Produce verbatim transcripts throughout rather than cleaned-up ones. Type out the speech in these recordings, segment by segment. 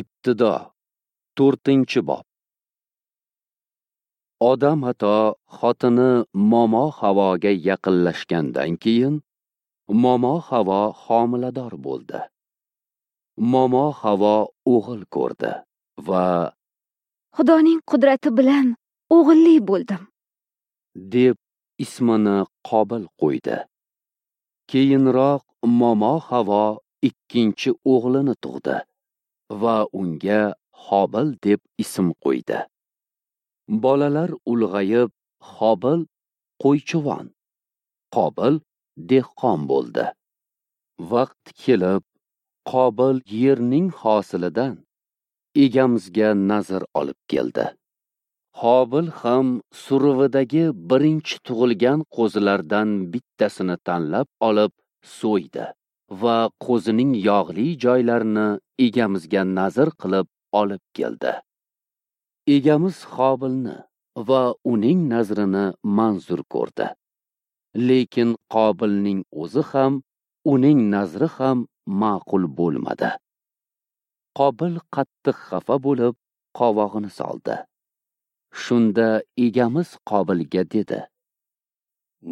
Ibtido to'rtinchi bob. Odam ato xotini Momo Havoga yaqinlashgandan keyin Momo Havo homilador bo'ldi. Momo Havo o'g'il ko'rdi va Xudoning qudrati bilan o'g'illi bo'ldim, deb ismini Qobil qo'ydi. Keyinroq Momo Havo ikkinchi o'g'lini tug'di va unga Hobil deb ism qo'ydi. Bolalar ulg'ayib, Hobil qo'ychivon, Qobil dehqon bo'ldi. Vaqt kelib, Qobil yerning hosilidan egamizga nazr olib keldi. Hobil ham suruvidagi birinchi tug'ilgan qo'zilardan bittasini tanlab olib so'ydi va qo'zining yog'li joylarini egamizga nazr qilib olib keldi. Egamiz Hobilni va uning nazrini manzur ko'rdi. Lekin Qobilning o'zi ham, uning nazri ham ma'qul bo'lmadi. Qobil qattiq xafa bo'lib, qovog'ini soldi. Shunda egamiz Qobilga dedi: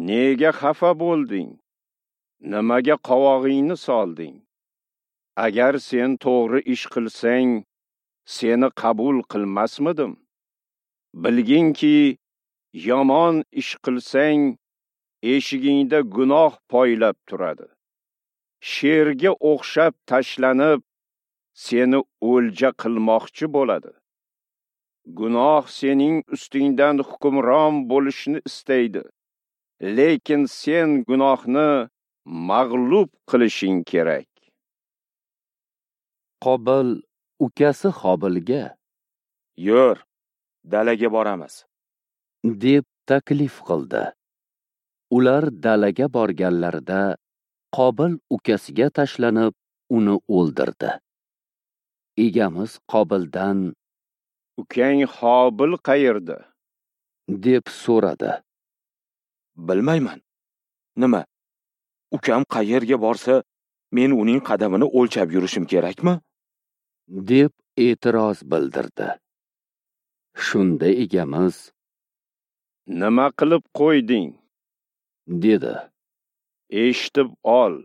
Nega xafa bo'lding? Nimaga qovog'ingni solding? Agar sen to'g'ri ish qilsang, seni qabul qilmasmidim? Bilginki, yomon ish qilsang, eshigingda gunoh poylab turadi. Sherga o'xshab tashlanib, seni o'lja qilmoqchi bo'ladi. Gunoh sening ustingdan hukmron bo'lishni istaydi. Lekin sen gunohni mag'lub qilishing kerak. Qobil ukasi Hobilga: "Yur, dalaga boramiz", deb taklif qildi. Ular dalaga borganlarida Qobil ukasiga tashlanib, uni o'ldirdi. Egamiz Qobildan: "Ukang Hobil qayerda?" deb so'radi. "Bilmayman. Nima? Ukam qayerga borsa, men uning qadamini o'lchab yurishim kerakmi?" deb e'tiroz bildirdi. Shunda egamiz: "Nima qilib qo'yding?" dedi. "Eshitib ol.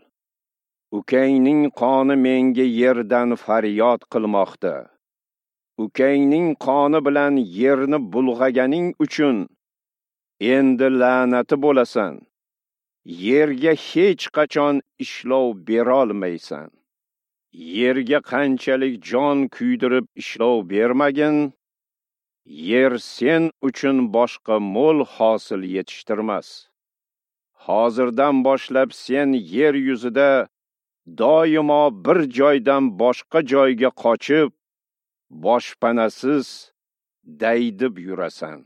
Ukangning qoni menga yerdan faryod qilmoqda. Ukangning qoni bilan yerni bulg'aganing uchun endi la'nati bo'lasan. Yerga hech qachon ishlov berolmaysan. Yerga qanchalik jon kuydirib ishlov bermagin, yer sen uchun boshqa mo'l hosil yetishtirmas. Hozirdan boshlab sen yer yuzida doimo bir joydan boshqa joyga qochib, boshpanasiz daydib yurasan."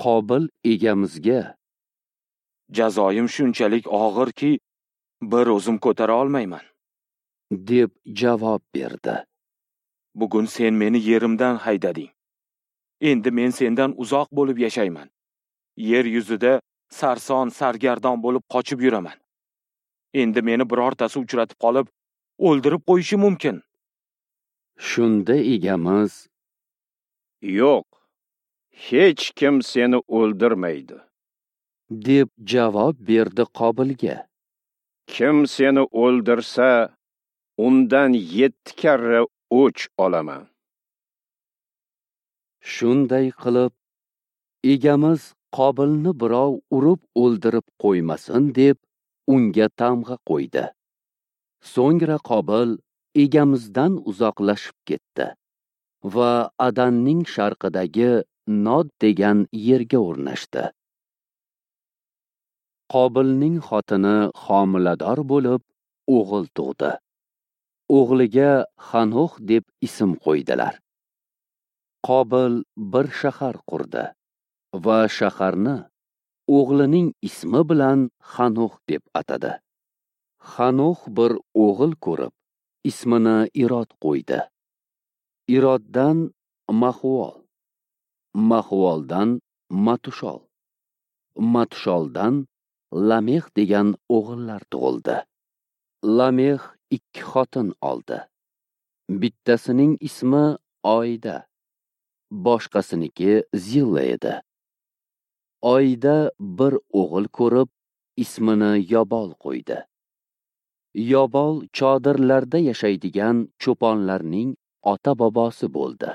Qobil egamizga: "Jazoyim shunchalik og'irki, bir o'zim ko'tara olmayman", deb javob berdi. "Bugun sen meni yerimdan haydading. Endi men sendan uzoq bo'lib yashayman. Yer yuzida sarson sargardon bo'lib qochib yuraman. Endi meni birortasi uchratib qolib, o'ldirib qo'yishi mumkin." Shunda egamiz: "Yo'q, hech kim seni o'ldirmaydi", deb javob berdi Qobilga. "Kim seni o'ldirsa, undan yetti karra o'ch olaman." Shunday qilib, egamiz Qobilni birov urib o'ldirib qo'ymasin deb unga tamg'a qo'ydi. So'ngra Qobil egamizdan uzoqlashib ketdi va Adanning sharqidagi Nod degan yerga o'rnashdi. Qobilning xotini homilador bo'lib, o'g'il tug'di. O'g'liga Xanox deb ism qo'ydilar. Qobil bir shahar qurdi va shaharni o'g'lining ismi bilan Xanox deb atadi. Xanox bir o'g'il ko'rib, ismini Irod qo'ydi. Iroddan Mahvol, Mahvoldan Matushol, Matusholdan Lamex degan o'g'illar tug'ildi. Lamex ikki xotin oldi. Bittasining ismi Oyda, boshqasiniki Zilla edi. Oyda bir o'g'il ko'rib, ismini Yobol qo'ydi. Yobol chodirlarda yashaydigan cho'ponlarning ota-bobosi bo'ldi.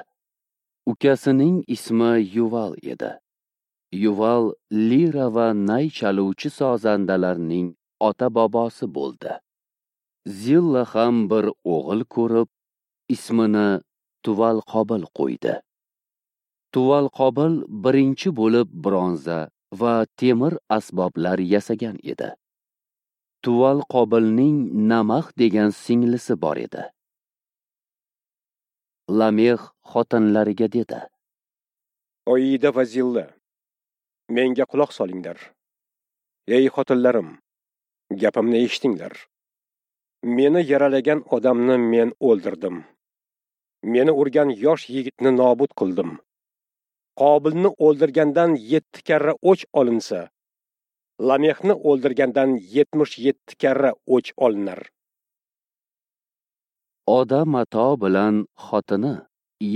Ukasining ismi Yuval edi. Yuval lira va nay chaluvchi sozandalarning ota-bobosi bo'ldi. Zilla ham bir o'g'il ko'rib, ismini Tuval Qobil qo'ydi. Tuval Qobil birinchi bo'lib bronza va temir asboblar yasagan edi. Tuval Qobilning Namax degan singlisi bor edi. Lamex xotinlariga dedi: Oyida va Zilla, menga quloq solinglar. Ey xotinlarim, gapimni eshitinglar. Meni yaralagan odamni men o'ldirdim. Meni urgan yosh yigitni nobud qildim. Qobilni o'ldirgandan yetti karra o'ch olinsa, Lamexni o'ldirgandan yetmish yetti karra o'ch olinar. Odam ato bilan xotini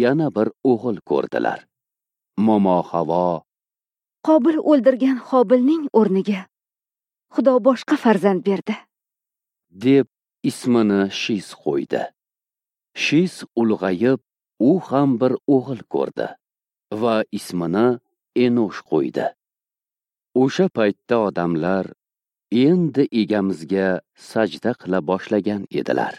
yana bir o'g'il ko'rdilar. Momo Havo: Qobil o'ldirgan Hobilning o'rniga Xudo boshqa farzand berdi, deb ismini Shis qo'ydi. Shis ulg'ayib, u ham bir o'g'il ko'rdi va ismini Enosh qo'ydi. O'sha paytda odamlar endi egamizga sajda qila boshlagan edilar.